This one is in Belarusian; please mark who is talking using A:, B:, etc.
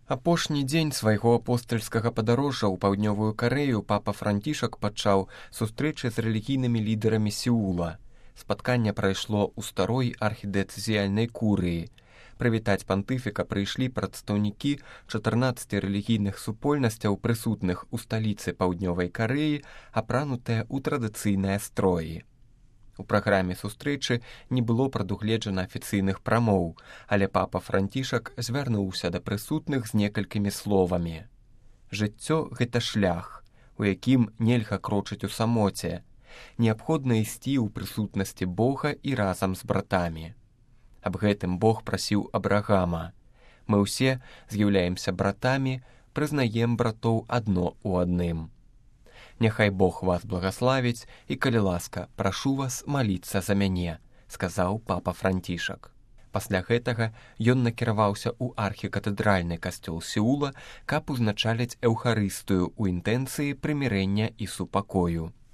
A: Апошні дзень свайго апостальскага падарожжа ў паўднёвую Карэю папа Францішак пачаў сустрэчы з рэлігійнымі лідарамі Сеула. Спатканне прайшло ў старой архідыцэзіяльнай курыі. Прывітаць пантыфіка прыйшлі прадстаўнікі 14 рэлігійных супольнасцяў, прысутных у сталіцы паўднёвай Карэі, апранутыя ў традыцыйныя строі. У праграме сустрэчы не было прадугледжана афіцыйных прамоў, але папа Францішак звярнуўся да прысутных з некалькімі словамі. Жыццё – гэта шлях, у якім нельга крочыць у самоце. Неабходна ісці ў прысутнасці Бога і разам з братамі. Аб гэтым Бог прасіў Абрагама. Мы ўсе з'яўляемся братамі, прызнаем братоў адно ў адным. Няхай Бог вас благаславіць, і, калі ласка, прашу вас маліцца за мяне, сказаў папа Францішак. Пасля гэтага ён накіраваўся ў архікатэдральны касцёл Сеула, каб узначаліць эўхарыстыю ў інтэнцыі прымірэння і супакою.